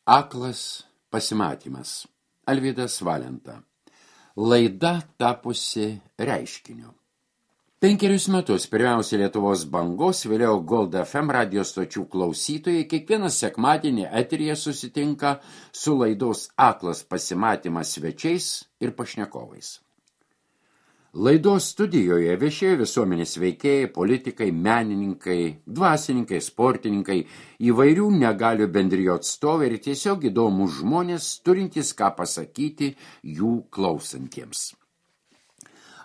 Aklas pasimatymas. Alvydas Valenta. Laida tapusi reiškiniu. 5 metus pirmiausia Lietuvos bangos, vėliau Gold FM radijos stočių klausytojai kiekvieną sekmadienį eteryje susitinka su laidos Aklas pasimatymas svečiais ir pašnekovais. Laidos studijoje viešėjo visuomenės veikėjai, politikai, menininkai, dvasininkai, sportininkai, įvairių negalių bendrijų atstovai ir tiesiog įdomūs žmonės, turintys ką pasakyti jų klausantiems.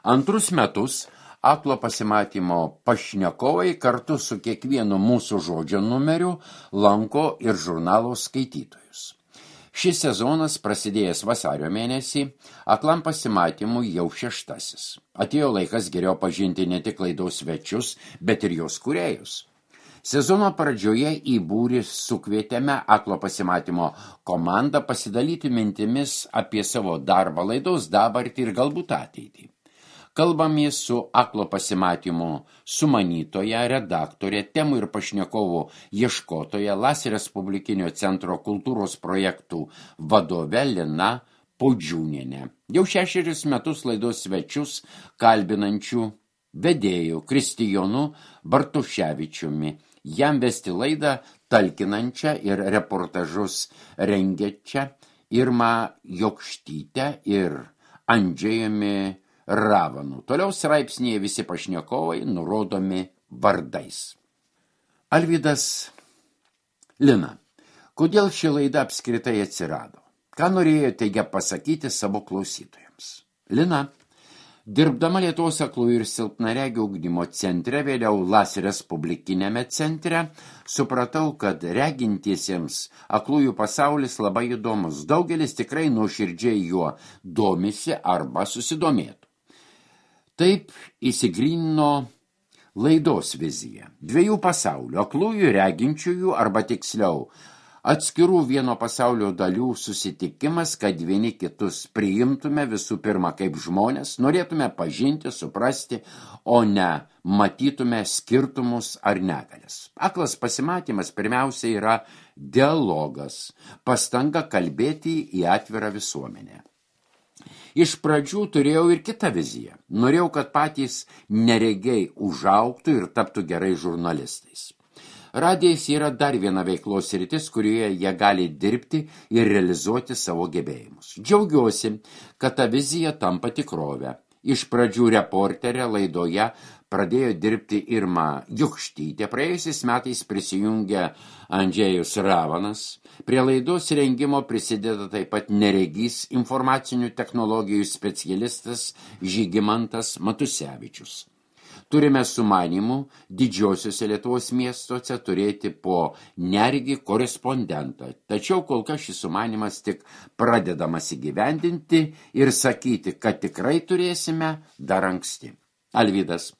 Antrus metus Aklo pasimatymo pašnekovai kartu su kiekvienu mūsų žodžio numeriu lanko ir žurnalo skaitytojus. Šis sezonas, prasidėjęs vasario mėnesį, Aklam pasimatymui jau 6. Atėjo laikas geriau pažinti ne tik laidos svečius, bet ir jos kūrėjus. Sezono pradžioje į būrį sukvietėme Aklo pasimatymo komandą pasidalyti mintimis apie savo darbą, laidos dabartį ir galbūt ateitį. Kalbamės su Aklo pasimatymo sumanytoja, redaktorė, temų ir pašnekovų ieškotoja, LAS Respublikinio centro kultūros projektų vadove Lina Podžiūnienė. Jau 6 metus laidos svečius kalbinančių vedėjų Kristijonu Bartuševičiumi, jam vesti laidą talkinančią ir reportažus rengiančią Irmą Jokštytę ir Andžejumi Ravanu. Toliau straipsnėje visi pašnekovai nurodomi vardais. Alvydas. Lina, kodėl ši laida apskritai atsirado? Ką norėjote ją pasakyti savo klausytojams? Lina, dirbdama Lietuvos aklųjų ir silpnaregių ugdymo centre, vėliau LAS Respublikinėme centre, supratau, kad regintiesiems aklųjų pasaulis labai įdomus. Daugelis tikrai nuoširdžiai juo domisi arba susidomėtų. Taip įsigrynino laidos vizija. 2 pasaulių, aklųjų reginčiųjų arba tiksliau, atskirų vieno pasaulio dalių susitikimas, kad vieni kitus priimtume visų pirma kaip žmonės, norėtume pažinti, suprasti, o ne matytume skirtumus ar negalias. Aklas pasimatymas pirmiausia yra dialogas, pastanga kalbėti į atvirą visuomenę. Iš pradžių turėjau ir kitą viziją. Norėjau, kad patys neregiai užaugtų ir taptų gerai žurnalistais. Radijas yra dar viena veiklos sritis, kurioje jie gali dirbti ir realizuoti savo gebėjimus. Džiaugiuosi, kad ta vizija tampa tikrove. Iš pradžių reporterė laidoje pradėjo dirbti Irma Jokštytė, praėjusiais metais prisijungė Andžejus Ravanas. Prie laidos rengimo prisideda taip pat neregys informacinių technologijų specialistas Žygimantas Matusevičius. Turime sumanymų didžiosiuose Lietuvos miestuose turėti po neregį korespondentą. Tačiau kol kas šis sumanymas tik pradedamas įgyvendinti ir sakyti, kad tikrai turėsime dar anksti. Alvydas,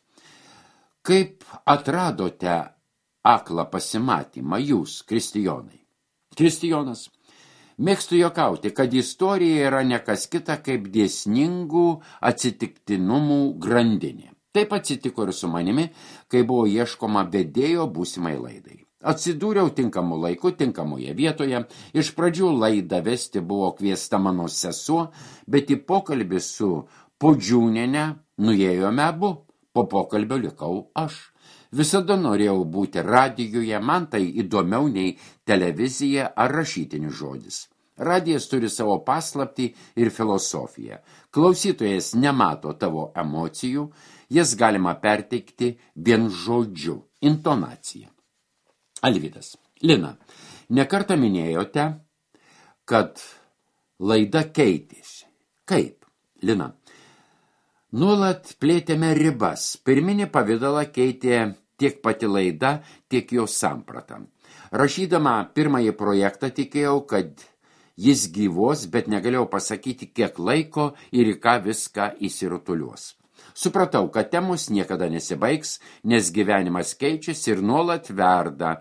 kaip atradote aklą pasimatymą jūs, Kristijonai? Kristijonas, mėgstu juokauti, kad istorija yra ne kas kita kaip dėsningų atsitiktinumų grandinė. Taip atsitiko ir su manimi, kai buvo ieškoma vedėjo būsimai laidai. Atsidūriau tinkamu laiku, tinkamoje vietoje. Iš pradžių laidą vesti buvo kviesta mano sesuo, bet į pokalbį su Podžiūniene nuėjome abu. Po pokalbio likau aš. Visada norėjau būti radijuje, man tai įdomiau nei televizija ar rašytinis žodis. Radijas turi savo paslaptį ir filosofiją. Klausytojas nemato tavo emocijų, jas galima perteikti vien žodžiu, intonacija. Alvydas. Lina, nekartą minėjote, kad laida keitėsi. Kaip? Lina. Nuolat plėtėme ribas. Pirminį pavidalą keitė tiek pati laida, tiek jos samprata. Rašydama pirmąjį projektą tikėjau, kad jis gyvos, bet negalėjau pasakyti, kiek laiko ir į ką viską įsirutuliuos. Supratau, kad temos niekada nesibaigs, nes gyvenimas keičiasi ir nuolat verda,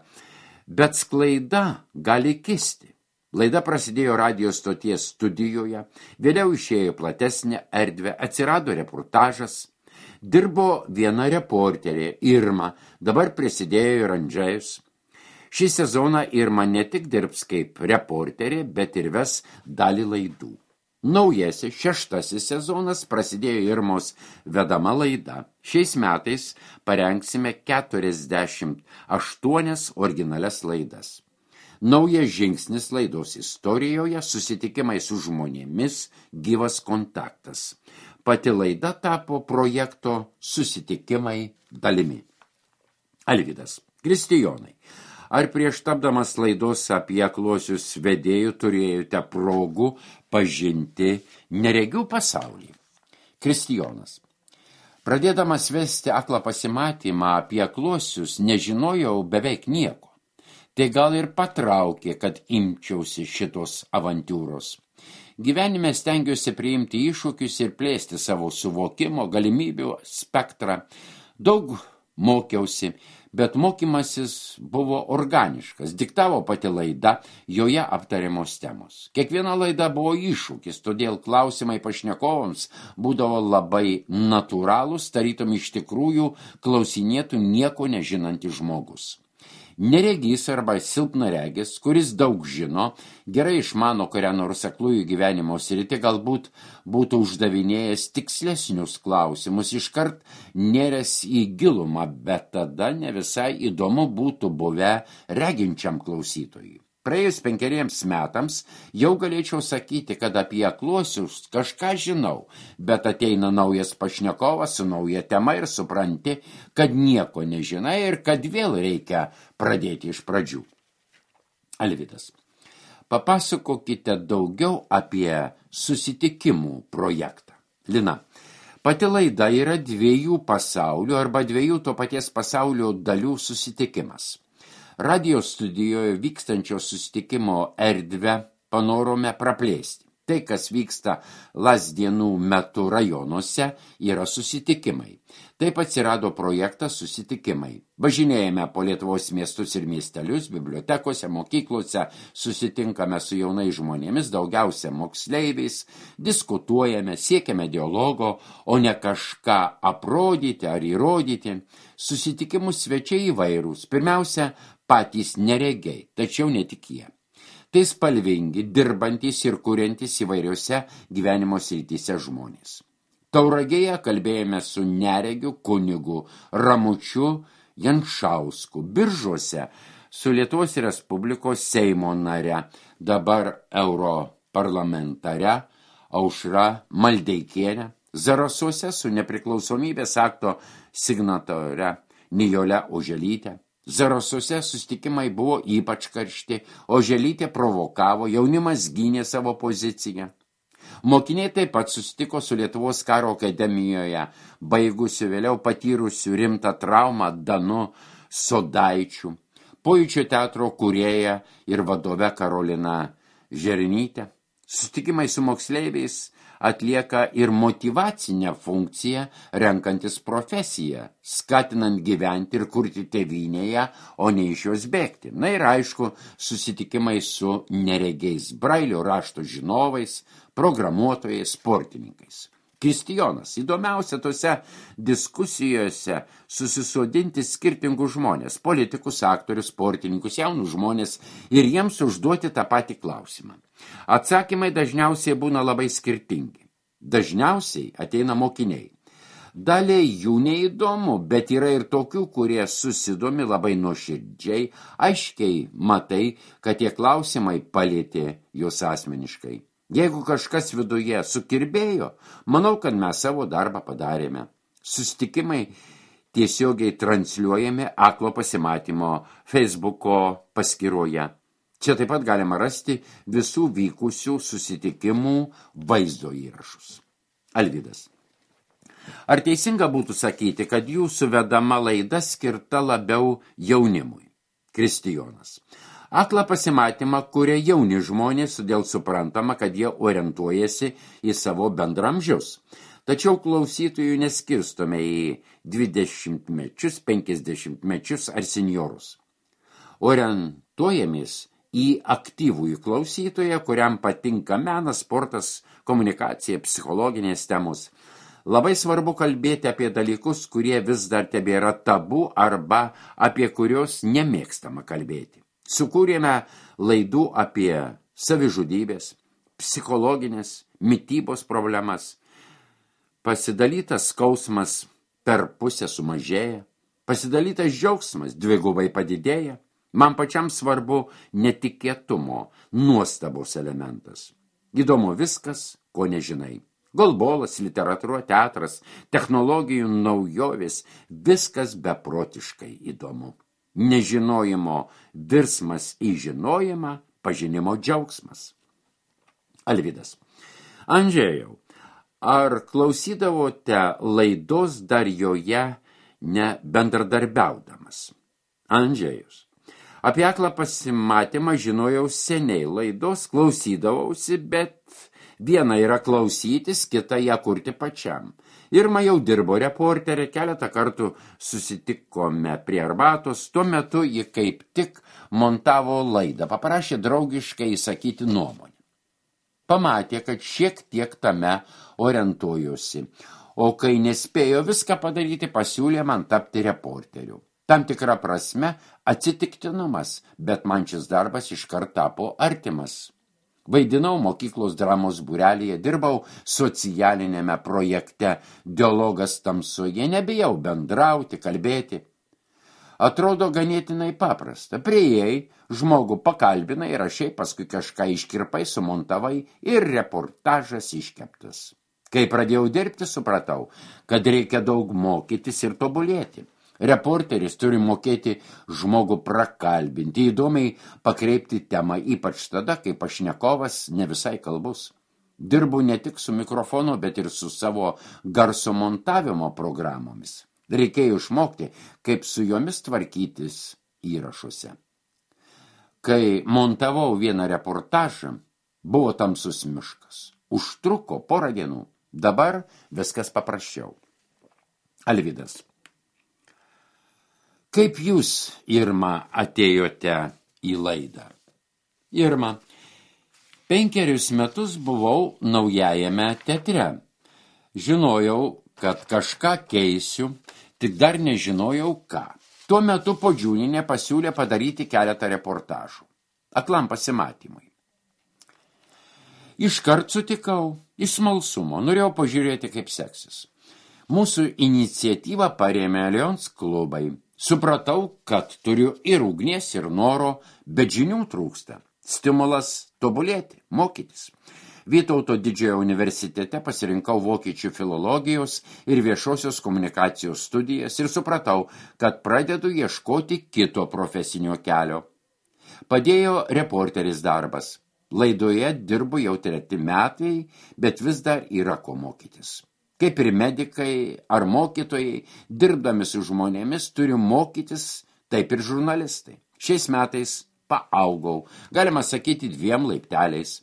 bet sklaida gali kisti. Laida prasidėjo radijos stoties studijoje, vėliau išėjo platesnė erdvė, atsirado reportažas, dirbo viena reporterė Irma, dabar prisidėjo ir Andžejus. Šį sezoną Irma ne tik dirbs kaip reporterė, bet ir ves dalį laidų. Naujasis 6 sezonas prasidėjo Irmos vedama laida. Šiais metais parengsime 48 originalias laidas. Naujas žingsnis laidos istorijoje – susitikimai su žmonėmis, gyvas kontaktas. Pati laida tapo projekto susitikimai dalimi. Alvydas. Kristijonai, ar prieš tapdamas laidos apie akluosius vedėjų turėjote progų pažinti neregių pasaulį? Kristijonas. Pradėdamas vesti aklą pasimatymą apie akluosius, nežinojau beveik nieko. Tai gal ir patraukė, kad imčiausi šitos avantūros. Gyvenime stengiuosi priimti iššūkius ir plėsti savo suvokimo, galimybių spektrą. Daug mokiausi, bet mokymasis buvo organiškas, diktavo pati laida, joje aptariamos temos. Kiekviena laida buvo iššūkis, todėl klausimai pašnekovams būdavo labai natūralūs, tarytum iš tikrųjų klausinėtų nieko nežinantis žmogus. Neregys arba silpnaregis, kuris daug žino, gerai išmano kurią nors aklųjų gyvenimo sritį, galbūt būtų uždavinėjęs tikslesnius klausimus, iškart nėręs į gilumą, bet tada ne visai įdomu būtų buvę reginčiam klausytojui. Praėjus 5 metams jau galėčiau sakyti, kad apie akluosius kažką žinau, bet ateina naujas pašnekovas su nauja tema ir supranti, kad nieko nežinai ir kad vėl reikia pradėti iš pradžių. Alvydas. Papasakokite daugiau apie susitikimų projektą. Lina. Pati laida yra 2 pasaulių arba 2 to paties pasaulio dalių susitikimas. Radio studijoje vykstančio susitikimo erdvę panorome praplėsti. Tai, kas vyksta Lazdėnų metu rajonuose, yra susitikimai. Taip atsirado projektas susitikimai. Važinėjame po Lietuvos miestus ir miestelius, bibliotekose, mokyklose, susitinkame su jaunais žmonėmis, daugiausia moksleiviais, diskutuojame, siekiame dialogo, o ne kažką aprodyti ar įrodyti. Susitikimus svečiai įvairūs. Pirmiausia, patys neregiai, tačiau ne tik jie. Tai spalvingi, dirbantys ir kuriantys įvairiose gyvenimo srityse žmonės. Tauragėje kalbėjome su neregiu kunigu Ramučiu Janšausku, Biržuose su Lietuvos Respublikos Seimo nare, dabar europarlamentare Aušra Maldeikienė, Zarasuose su nepriklausomybės akto signatore Nijole Oželyte. Zarasuose susitikimai buvo ypač karšti, Oželytė provokavo, jaunimas gynė savo poziciją. Mokiniai taip pat susitiko su Lietuvos karo akademijoje, baigusiu vėliau patyrusiu rimtą traumą Danu Sodaičiu, Pojūčio teatro kūrėja ir vadove Karolina Žernytė. Susitikimai su moksleiviais atlieka ir motyvacinę funkciją, renkantis profesiją, skatinant gyventi ir kurti tėvynėje, o ne iš jos bėgti. Na ir aišku, susitikimai su neregiais, brailio rašto žinovais, programuotojais, sportininkais. Kristijonas, įdomiausia tose diskusijose susisodinti skirtingus žmonės, politikus, aktorius, sportininkus, jaunus žmonės ir jiems užduoti tą patį klausimą. Atsakymai dažniausiai būna labai skirtingi. Dažniausiai ateina mokiniai. Daliai jų neįdomu, bet yra ir tokių, kurie susidomi labai nuoširdžiai, aiškiai matai, kad tie klausimai palietė juos asmeniškai. Jeigu kažkas viduje sukirbėjo, manau, kad mes savo darbą padarėme. Susitikimai tiesiogiai transliuojami aklo pasimatymo Facebooko paskyroje. Čia taip pat galima rasti visų vykusių susitikimų vaizdo įrašus. Alvydas. Ar teisinga būtų sakyti, kad jūsų vedama laida skirta labiau jaunimui? Kristijonas. Aklą pasimatymą kuria jauni žmonės, todėl suprantama, kad jie orientuojasi į savo bendramžius. Tačiau klausytojų neskirstome į 20-mečius, 50-mečius ar seniorus. Orientuojamės į aktyvųjį klausytoją, kuriam patinka menas, sportas, komunikacija, psichologinės temos. Labai svarbu kalbėti apie dalykus, kurie vis dar tebėra tabu arba apie kurios nemėgstama kalbėti. Sukūrėme laidų apie savižudybės, psichologinės, mitybos problemas. Pasidalytas skausmas per pusę sumažėja, pasidalytas džiaugsmas dvigubai padidėja. Man pačiam svarbu netikėtumo, nuostabos elementas. Įdomu viskas, ko nežinai. Golbolas, literatūra, teatras, technologijų naujovės, viskas beprotiškai įdomu. Nežinojimo virsmas į žinojimą, pažinimo džiaugsmas. Alvydas. Andžejau, ar klausydavote laidos dar joje nebendradarbiaudamas? Andžejus. Apie aklą pasimatymą žinojau seniai, laidos klausydavausi, bet viena yra klausytis, kita ją kurti pačiam. Irma jau dirbo reporterė, keletą kartų susitikome prie arbatos, tuo metu ji kaip tik montavo laidą, paprašė draugiškai įsakyti nuomonę. Pamatė, kad šiek tiek tame orientuojuosi, o kai nespėjo viską padaryti, pasiūlė man tapti reporteriu. Tam tikra prasme atsitiktinumas, bet man šis darbas iškart tapo artimas. Vaidinau mokyklos dramos būrelyje, dirbau socialinėme projekte Dialogas tamsoje, nebijau bendrauti, kalbėti. Atrodo ganėtinai paprasta. Priėjai, žmogų pakalbinai, rašai, paskui kažką iškirpai, sumontavai ir reportažas iškeptas. Kai pradėjau dirbti, supratau, kad reikia daug mokytis ir tobulėti. Reporteris turi mokėti žmogų prakalbinti, įdomiai pakreipti temą, ypač tada, kai pašnekovas ne visai kalbus. Dirbu ne tik su mikrofonu, bet ir su savo garso montavimo programomis. Reikėjo išmokti, kaip su jomis tvarkytis įrašuose. Kai montavau vieną reportažą, buvo tamsus miškas. Užtruko porą dienų. Dabar viskas paprasčiau. Alvydas. Kaip jūs, Irma, atėjote į laidą? Irma, 5 metus buvau Naujajame teatre. Žinojau, kad kažką keisiu, tik dar nežinojau ką. Tuo metu Podžiūnienė pasiūlė padaryti keletą reportažų. Aklam pasimatymui. Iškart sutikau, iš smalsumo, norėjau pažiūrėti, kaip seksis. Mūsų iniciatyvą parėmė Allianz klubai. Supratau, kad turiu ir ugnies, ir noro, bet žinių trūksta. Stimulas tobulėti, mokytis. Vytauto Didžiojo universitete pasirinkau vokiečių filologijos ir viešosios komunikacijos studijas ir supratau, kad pradedu ieškoti kito profesinio kelio. Padėjo reporteris darbas. Laidoje dirbu jau 3 metai, bet vis dar yra ko mokytis. Kaip ir medikai ar mokytojai, dirbdami su žmonėmis, turi mokytis, taip ir žurnalistai. Šiais metais paaugau, galima sakyti 2 laipteliais.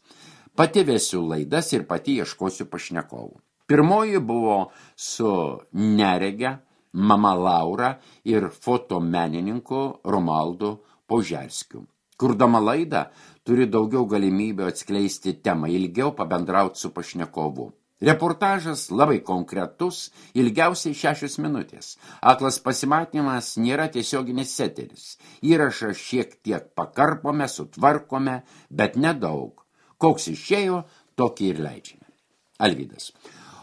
Pati vesiu laidas ir pati ieškosiu pašnekovų. Pirmoji buvo su nerege, mama Laura ir fotomenininku Romaldu Požerskiu. Kurdama laidą, turi daugiau galimybių atskleisti temą, ilgiau pabendrauti su pašnekovu. Reportažas labai konkretus, ilgiausiai 6 minutės. Aklas pasimatymas nėra tiesioginis eteris. Įrašą šiek tiek pakarpome, sutvarkome, bet nedaug. Koks išėjo, tokį ir leidžiame. Alvydas.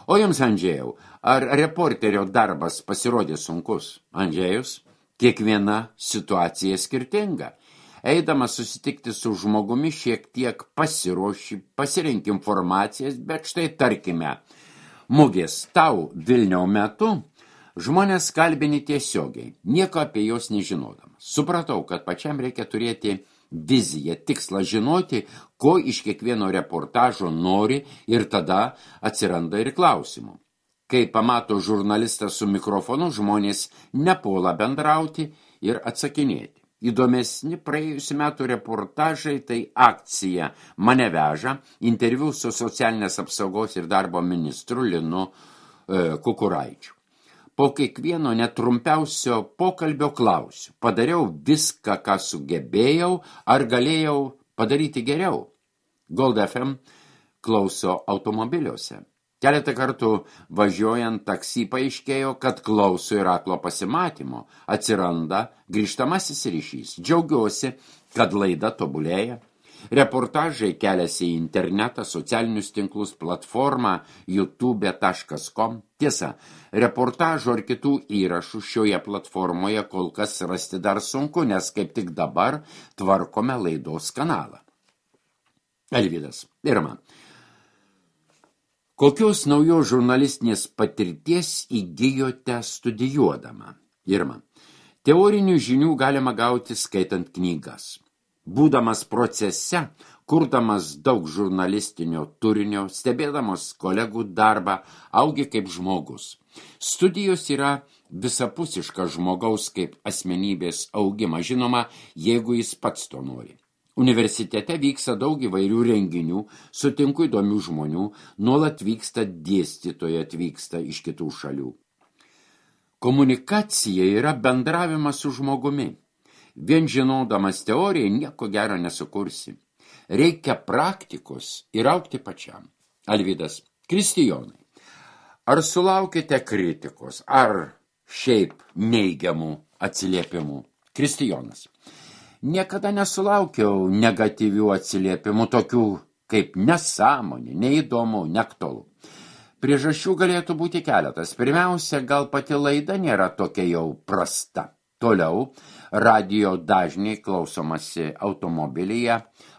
O jums, Andžėjau, ar reporterio darbas pasirodė sunkus? Andžėjus, kiekviena situacija skirtinga. Eidamas susitikti su žmogumi šiek tiek pasiruoši, pasirink informacijas, bet štai tarkime, mugės tau Vilniaus metu žmonės kalbini tiesiogiai, nieko apie jos nežinodamas. Supratau, kad pačiam reikia turėti viziją, tikslą žinoti, ko iš kiekvieno reportažo nori ir tada atsiranda ir klausimų. Kai pamato žurnalistas su mikrofonu, žmonės nepuola bendrauti ir atsakinėti. Įdomesni praėjusių metų reportažai tai akcija Mane veža, interviu su socialinės apsaugos ir darbo ministru Linu Kukuraičiu. Po kiekvieno netrumpiausio pokalbio klausiu, padariau viską, ką sugebėjau, ar galėjau padaryti geriau. Gold FM klauso automobiliuose. Keletą kartų važiuojant taksi paaiškėjo, kad klauso ir aklo pasimatymo. Atsiranda grįžtamasis ryšys. Džiaugiuosi, kad laida tobulėja. Reportažai keliasi į internetą, socialinius tinklus, platformą youtube.com. Tiesa, reportažų ar kitų įrašų šioje platformoje kol kas rasti dar sunku, nes kaip tik dabar tvarkome laidos kanalą. Alvydas, Irma. Kokios naujos žurnalistinės patirties įgijote studijuodama? Irma. Teorinių žinių galima gauti skaitant knygas. Būdamas procese, kurdamas daug žurnalistinio turinio, stebėdamas kolegų darbą, augi kaip žmogus. Studijos yra visapusiška žmogaus kaip asmenybės augimas, žinoma, jeigu jis pats to nori. Universitete vyksta daug įvairių renginių, sutinku įdomių žmonių, nuolat vyksta dėstytojai, atvyksta iš kitų šalių. Komunikacija yra bendravimas su žmogumi. Vien žinodamas teoriją nieko gero nesukursi. Reikia praktikos ir augti pačiam. Alvydas, Kristijonai, ar sulaukite kritikos, ar šiaip neigiamų atsiliepimų? Kristijonas. Niekada nesulaukiau negatyvių atsiliepimų, tokių kaip nesąmonė, neįdomu, neaktualu. Priežasčių galėtų būti keletas. Pirmiausia, gal pati laida nėra tokia jau prasta. Toliau, radijo dažniai klausomasi automobilyje,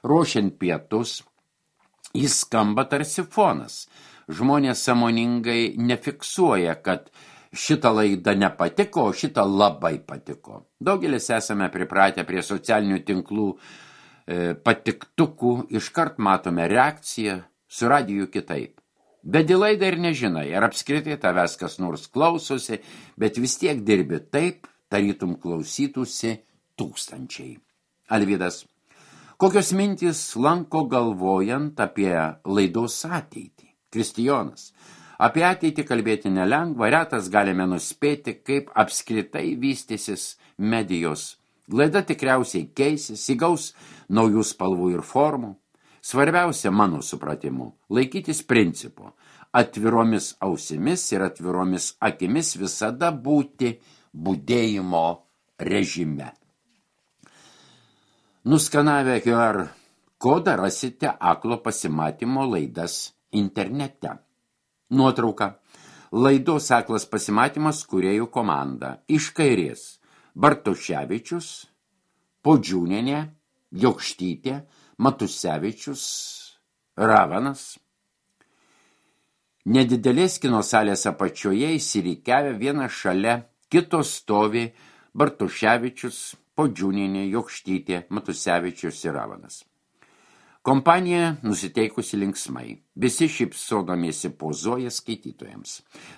ruošiant pietus, jis skamba tarsi fonas. Žmonės sąmoningai nefiksuoja, kad šitą laidą nepatiko, o šitą labai patiko. Daugelis esame pripratę prie socialinių tinklų patiktukų, iškart matome reakciją, su radiju kitaip. Bet į laidą ir nežinai, ar apskritai tavęs kas nors klausosi, bet vis tiek dirbi taip, tarytum klausytųsi tūkstančiai. Alvydas, kokios mintys lanko galvojant apie laidos ateitį? Kristijonas, apie ateitį kalbėti nelengva, retas galime nuspėti, kaip apskritai vystysis medijos. Laida tikriausiai keisis, įgaus naujų spalvų ir formų. Svarbiausia, mano supratimu, laikytis principo, atviromis ausimis ir atviromis akimis visada būti budėjimo režime. Nuskanavę QR kodą rasite aklo pasimatymo laidas internete. Nuotrauka. Laidos aklas pasimatymas kūrėjų komanda. Iš kairės Bartoševičius, Podžiūnienė, Jokštytė, Matusevičius, Ravanas. Nedidelės kino salės apačioje įsirikiavę vieną šalia kito stovi Bartoševičius, Podžiūnienė, Jokštytė, Matusevičius ir Ravanas. Kompanija nusiteikusi linksmai. Visi šypsodamiesi pozuoja skaitytojams.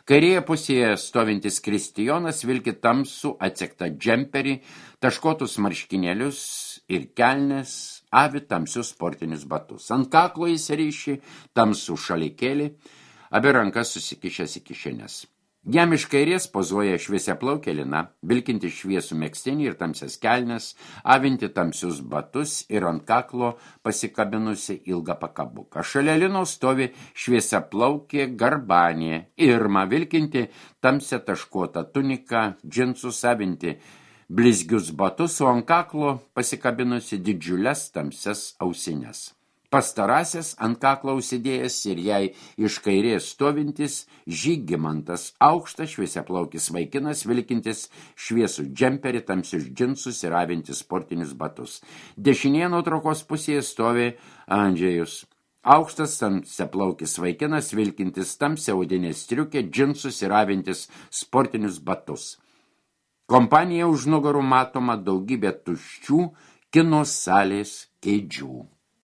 Kairėje pusėje stovintis Kristijonas vilki tamsų atsektą džemperį, taškotus marškinėlius ir kelnes, avi tamsius sportinius batus. Ant kaklo jis ryši tamsų šalikėlį, abi rankas susikišęs į kišenes. Jam iš kairės pozuoja šviesiaplaukė Lina, vilkinti šviesų megztinį ir tamsias kelnes, avinti tamsius batus ir ant kaklo pasikabinusi ilgą pakabuką. Šalia Linos stovi šviesiaplaukė Garbanė, Irma, vilkinti tamsią taškuotą tuniką, džinsus, avinti blizgius batus, o ant kaklo pasikabinusi didžiules tamsias ausines. Pastarąsias ant kaklo užsidėjęs ir jai iš kairės stovintis Žygimantas, aukštas šviesiaplaukis vaikinas, vilkintis šviesų džemperį, tamsius džinsus ir avintis sportinius batus. Dešinėje nuotraukos pusėje stovi Andžejus, aukštas tamsiaplaukis vaikinas, vilkintis tamsią odinę striukę, džinsus ir avintis sportinius batus. Kompanija už nugarų matoma daugybė tuščių kino salės kėdžių.